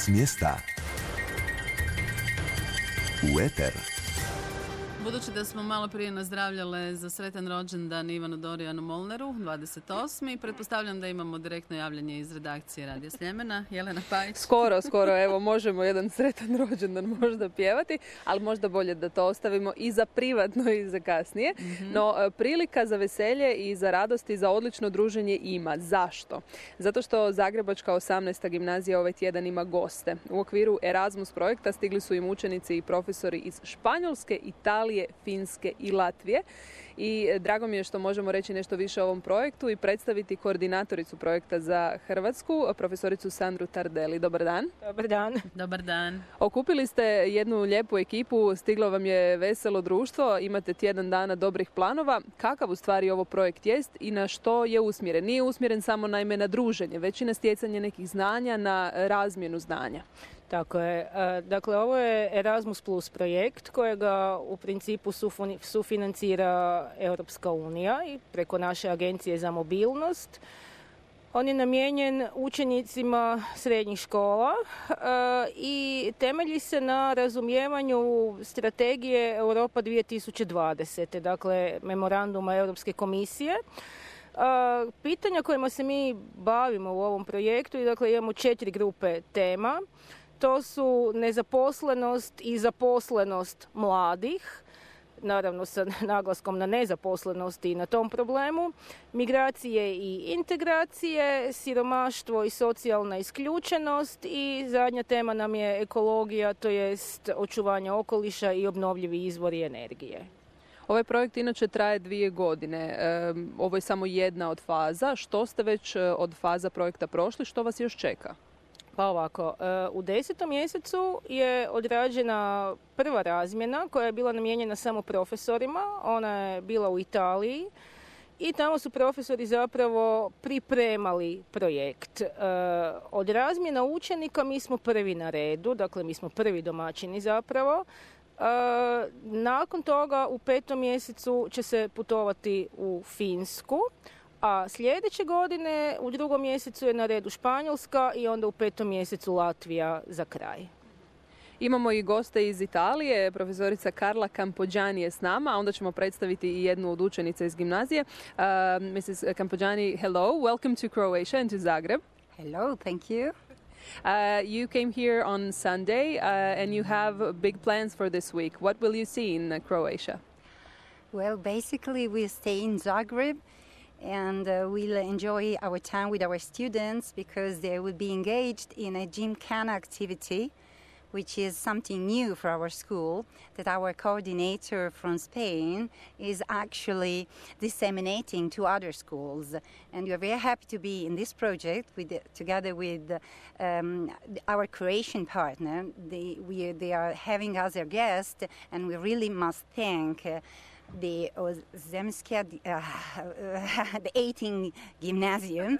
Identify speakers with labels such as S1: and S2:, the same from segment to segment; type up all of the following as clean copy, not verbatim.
S1: S mjesta u eter.
S2: Budući da smo malo prije nazdravljale za sretan rođendan Ivanu Dorijanu Molneru, 28. Pretpostavljam da imamo direktno javljanje iz redakcije Radija Sljemena. Jelena Pajić.
S3: Skoro, evo možemo jedan sretan rođendan možda pjevati, ali možda bolje da to ostavimo i za privatno i za kasnije. No, prilika za veselje i za radost i za odlično druženje ima. Zašto? Zato što Zagrebačka 18. gimnazija ovaj tjedan ima goste. U okviru Erasmus projekta stigli su im učenici i profesori iz Španjolske, Italije, Finske i Latvije. I drago mi je što možemo reći nešto više o ovom projektu i predstaviti koordinatoricu projekta za Hrvatsku, profesoricu Sandru Tardelli. Dobar dan.
S4: Dobar dan.
S2: Dobar dan.
S3: Okupili ste jednu lijepu ekipu, stiglo vam je veselo društvo, imate tjedan dana dobrih planova. Kakav u stvari ovo projekt jest i na što je usmjeren? Nije usmjeren samo naime na druženje, već i na stjecanje nekih znanja, na razmjenu znanja.
S4: Tako je. Dakle, ovo je Erasmus Plus projekt kojega u principu sufinancira Europska unija i preko naše agencije za mobilnost. On je namijenjen učenicima srednjih škola i temelji se na razumijevanju strategije Europa 2020. Dakle, memoranduma Europske komisije. Pitanja kojima se mi bavimo u ovom projektu, dakle, imamo 4 grupe tema. To su nezaposlenost i zaposlenost mladih, naravno sa naglaskom na nezaposlenosti i na tom problemu, migracije i integracije, siromaštvo i socijalna isključenost i zadnja tema nam je ekologija, to jest očuvanje okoliša i obnovljivi izvori energije.
S3: Ovaj projekt inače traje 2 godine. Ovo je samo jedna od faza. Što ste već od faza projekta prošli? Što vas još čeka?
S4: Pa ovako, u 10. mjesecu je odrađena prva razmjena koja je bila namijenjena samo profesorima. Ona je bila u Italiji i tamo su profesori zapravo pripremali projekt. Od razmjena učenika mi smo prvi na redu, dakle mi smo prvi domaćini zapravo. Nakon toga u 5. mjesecu će se putovati u Finsku. A sljedeće godine u 2. mjesecu je na redu Španjolska i onda u 5. mjesecu Latvija za kraj.
S3: Imamo i goste iz Italije, profesorica Carla Campogiani je s nama, a onda ćemo predstaviti i jednu od učenica iz gimnazije. Mrs. Campogiani, hello, welcome to Croatia and to Zagreb.
S5: Hello, thank you.
S3: You came here on Sunday and you have big plans for this week. What will you see in Croatia?
S5: Well, basically we stay in Zagreb. And we'll enjoy our time with our students because they will be engaged in a gymkhana activity, which is something new for our school, that our coordinator from Spain is actually disseminating to other schools. And we are very happy to be in this project together with our Croatian partner. They are having us their guest, and we really must thank the 18 Gymnasium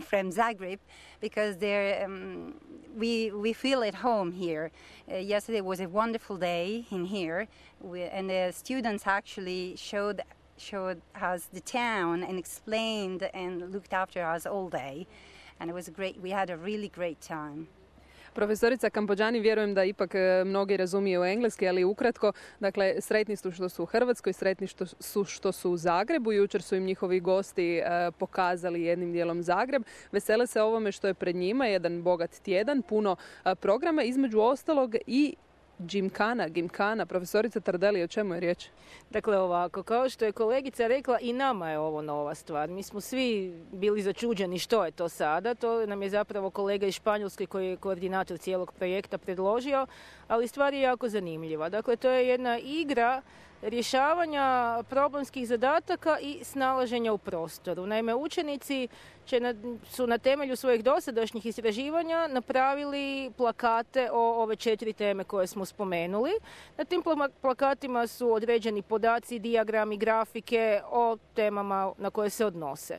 S5: from Zagreb, because we feel at home here. Yesterday was a wonderful day in here, and the students actually showed us the town and explained and looked after us all day, and it was great. We had a really great time.
S3: Profesorica Campogiani, vjerujem da ipak mnogi razumiju engleski, ali ukratko, dakle, sretni su što su u Hrvatskoj, sretni što su u Zagrebu. Jučer su im njihovi gosti pokazali jednim dijelom Zagreb. Vesele se ovome što je pred njima, jedan bogat tjedan, puno programa, između ostalog i gymkhana. Profesorica Tardelli, o čemu je riječ?
S4: Dakle ovako, kao što je kolegica rekla, i nama je ovo nova stvar. Mi smo svi bili začuđeni što je to sada. To nam je zapravo kolega iz Španjolske koji je koordinator cijelog projekta predložio, ali stvar je jako zanimljiva. Dakle, to je jedna igra rješavanja problemskih zadataka i snalaženja u prostoru. Naime, učenici su na temelju svojih dosadašnjih istraživanja napravili plakate o ove 4 teme koje smo spomenuli. Na tim plakatima su određeni podaci, dijagrami, grafike o temama na koje se odnose.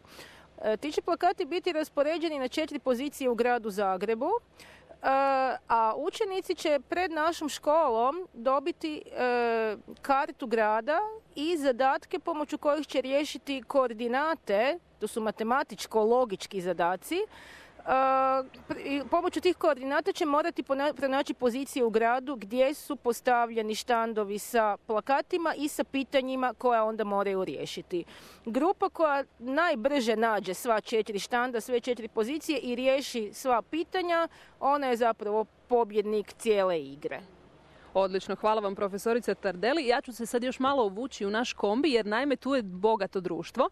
S4: Ti će plakati biti raspoređeni na 4 pozicije u gradu Zagrebu, a učenici će pred našom školom dobiti kartu grada i zadatke pomoću kojih će riješiti koordinate, to su matematičko-logički zadaci, Pomoću tih koordinata će morati pronaći pozicije u gradu gdje su postavljeni štandovi sa plakatima i sa pitanjima koja onda moraju riješiti. Grupa koja najbrže nađe sva 4 štanda, sve 4 pozicije i riješi sva pitanja, ona je zapravo pobjednik cijele igre.
S3: Odlično, hvala vam profesorice Tardelli. Ja ću se sad još malo uvući u naš kombi jer naime tu je bogato društvo.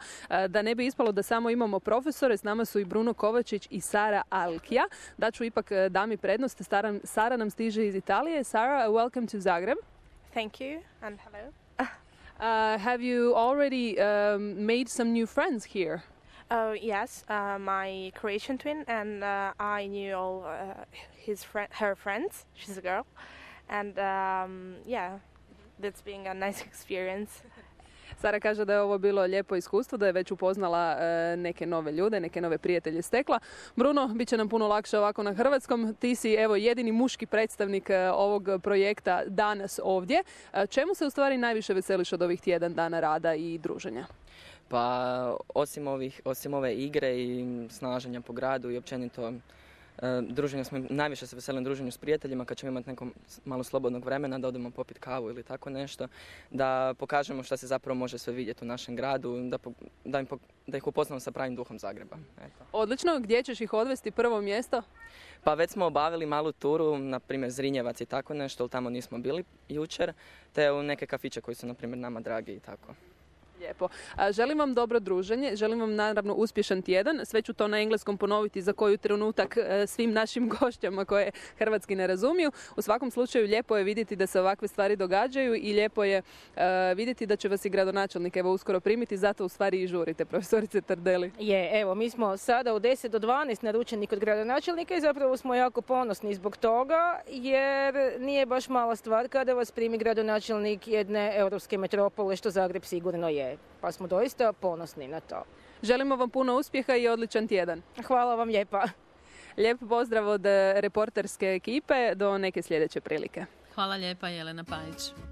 S3: Da ne bi ispalo da samo imamo profesore, s nama su i Bruno Kovačić i Sara Alkija. Daću ipak dami prednost. Sara nam stiže iz Italije. Sara, welcome to Zagreb.
S1: Thank you and hello.
S3: Have you already made some new friends here?
S1: Yes, my Croatian twin and I knew all her friends. She's a girl. And yeah, that's been a nice experience.
S3: Sara kaže da je ovo bilo lijepo iskustvo, da je već upoznala neke nove ljude, neke nove prijatelje stekla. Bruno, bit će nam puno lakše ovako na hrvatskom. Ti si evo jedini muški predstavnik ovog projekta danas ovdje. Čemu se u stvari najviše veseliš od ovih tjedan dana rada i druženja?
S6: Pa osim ove igre i snaženja po gradu i općenito druženja, najviše se veselim druženju s prijateljima kad ćemo imati neko malo slobodnog vremena da odemo popiti kavu ili tako nešto, da pokažemo šta se zapravo može sve vidjeti u našem gradu, da ih upoznamo sa pravim duhom Zagreba. Eto.
S3: Odlično, gdje ćeš ih odvesti prvo mjesto?
S6: Pa već smo obavili malu turu, na primjer Zrinjevac i tako nešto, ali tamo nismo bili jučer, te u neke kafiće koji su na primjer nama dragi i tako.
S3: Lijepo. Želim vam dobro druženje, želim vam naravno uspješan tjedan. Sve ću to na engleskom ponoviti za koju trenutak svim našim gošćama koje hrvatski ne razumiju. U svakom slučaju lijepo je vidjeti da se ovakve stvari događaju i lijepo je vidjeti da će vas i gradonačelnik evo uskoro primiti, zato u stvari i žurite, profesorice Tardelli.
S4: Evo, mi smo sada u 10 do 12 naručeni kod gradonačelnika i zapravo smo jako ponosni zbog toga, jer nije baš mala stvar kada vas primi gradonačelnik jedne europske metropole, što Zagreb sigurno je. Pa smo doista ponosni na to.
S3: Želimo vam puno uspjeha i odličan tjedan.
S4: Hvala vam lijepa.
S3: Lijep pozdrav od reporterske ekipe do neke sljedeće prilike.
S2: Hvala lijepa, Jelena Pajić.